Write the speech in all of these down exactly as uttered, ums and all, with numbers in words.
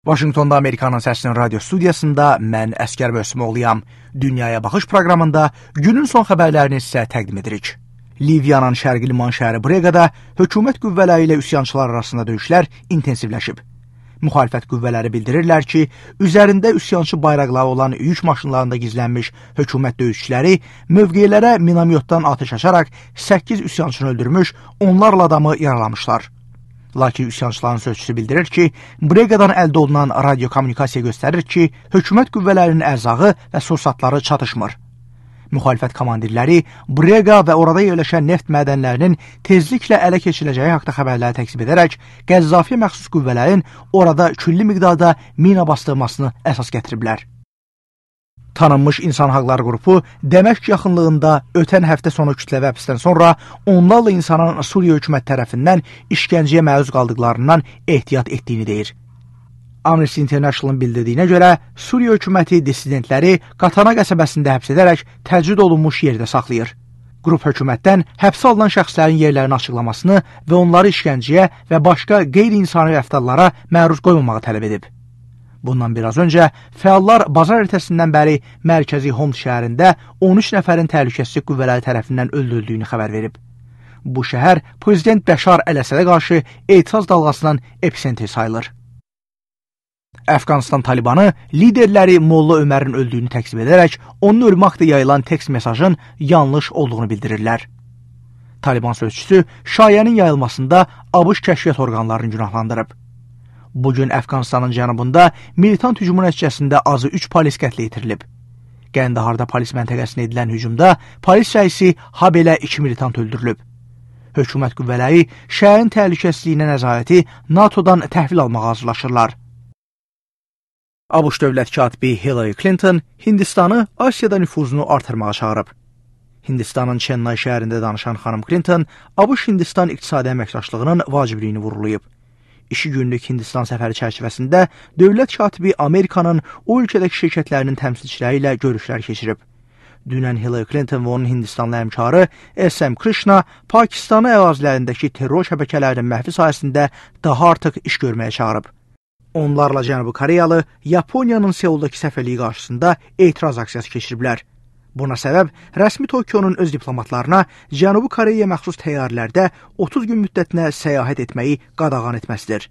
Vaşinqtonda Amerikanın səsinin radio studiyasında mən Əskər Mövsümoğluyam. Dünyaya Baxış proqramında günün son xəbərlərini sizə təqdim edirik. Liviyanın şərqi liman şəhəri Breqada hökumət qüvvələri ilə üsyançılar arasında döyüşlər intensivləşib. Müxalifət qüvvələri bildirirlər ki, üzərində üsyançı bayraqları olan yük maşınlarında gizlənmiş hökumət döyüşçüləri mövqelərə minamyotdan atəş açaraq səkkiz üsyançını öldürmüş, onlarla adamı yaralamışlar. Lakin üsyançıların sözçüsü bildirir ki, Breqadan əldə olunan radiokommunikasiya göstərir ki, hökumət qüvvələrinin ərzağı və sursatları çatışmır. Müxalifət komandirləri Breqa və orada yerləşən neft mədənlərinin tezliklə ələ keçiriləcəyi haqda xəbərləri təksib edərək, Qəzzafiyə məxsus qüvvələrin orada külli miqdarda mina bastırmasını əsas gətiriblər. Tanınmış İnsan Haqları qrupu Dəməşq yaxınlığında ötən həftə sonu kütləvi həbsdən sonra onlarla insanın Suriya hökuməti tərəfindən işgəncəyə məruz qaldıqlarından ehtiyat etdiyini deyir. Amnesty International'ın bildirdiyinə görə Suriya hökuməti dissidentləri Qatana qəsəbəsində həbs edərək təcrid olunmuş yerdə saxlayır. Qrup hökumətdən həbsə alınan şəxslərin yerlərini açıqlamasını və onları işgəncəyə və başqa qeyri-insani rəftarlara məruz qoymamağı tələb edib. Bundan biraz öncə fəallar bazar ertəsindən bəri mərkəzi Homs şəhərində on üç nəfərin təhlükəsizlik qüvvələri tərəfindən öldürüldüyünü xəbər verib. Bu şəhər Prezident Bəşar Əl-Əsədə qarşı etiraz dalğasının epicentri sayılır. Əfqanistan Talibanı liderləri Molla Ömərin öldüyünü təksib edərək, onun ölümü haqqında yayılan tekst mesajın yanlış olduğunu bildirirlər. Taliban sözçüsü şayənin yayılmasında ABŞ kəşfiyyat orqanlarını günahlandırıb. Bugün Əfqanistanın cənubunda militant hücumun nəticəsində azı üç polis qətlə yetirilib. Qəndaharda polis məntəqəsinə edilən hücumda polis rəisi habelə iki militant öldürülüb. Hökumət qüvvələri şəhərin təhlükəsizliyinə nəzarəti NATOdan təhvil almağa hazırlaşırlar. ABŞ dövlət katibi Hillary Clinton Hindistanı Asiyada nüfuzunu artırmağa çağırıb. Hindistanın Chennai şəhərində danışan xanım Clinton ABŞ-Hindistan iqtisadi əməkdaşlığının vacibliyini vurğulayıb. İki günlük Hindistan səfəri çərçivəsində dövlət katibi Amerikanın o ölkədəki şirkətlərinin təmsilçiləri ilə görüşlər keçirib. Dünən Hillary Clinton və onun Hindistanlı həmkarı S M Krishna Pakistanı ərazilərindəki terror şəbəkələrinin məhvi sayəsində daha artıq iş görməyə çağırıb. Onlarla Cənubi Koreyalı Yaponiyanın Seuldakı səfirliyi qarşısında etiraz aksiyası keçiriblər. Buna səbəb rəsmi Tokionun öz diplomatlarına Cənubi Koreyaya məxsus təyyarələrdə otuz gün müddətinə səyahət etməyi qadağan etməsidir.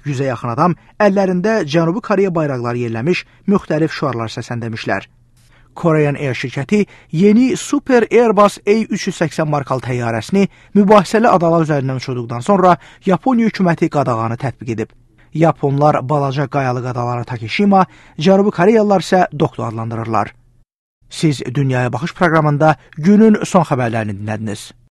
Yüzə yaxın adam əllərində Cənubi Koreya bayraqları yerləmiş müxtəlif şüarlar səsləndəmişlər. Korean Air şirkəti yeni Super Airbus A üç yüz səksən markalı təyyarəsini mübahisəli adalar üzərindən uçurduqdan sonra Yaponiya hökuməti qadağanı tətbiq edib. Yaponlar balaca qayalıq adaları Takeshima, Cənubi Koreyalılar isə Dokdo adlandırırlar. Siz Dünyaya Baxış proqramında günün son xəbərlərini dinlədiniz.